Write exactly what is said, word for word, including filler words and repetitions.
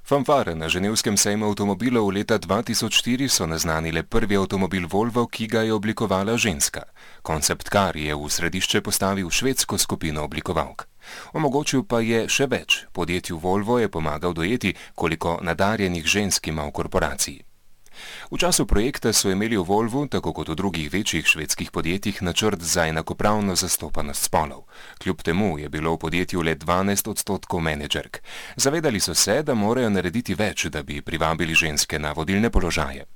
Fanfare na ženevskem sejmu avtomobilov leta dva tisoč štiri so naznanile prvi avtomobil Volvo, ki ga je oblikovala ženska. Koncept car je v središče postavil švedsko skupino oblikovalk. Omogočil pa je še več. Podjetju Volvo je pomagal dojeti, koliko nadarjenih žensk ima v korporaciji. V času projekta so imeli v Volvu, tako kot v drugih večjih švedskih podjetjih, načrt za enakopravno zastopanost spolov. Kljub temu je bilo v podjetju le dvanajst odstotkov menedžerk. Zavedali so se, da morajo narediti več, da bi privabili ženske na vodilne položaje.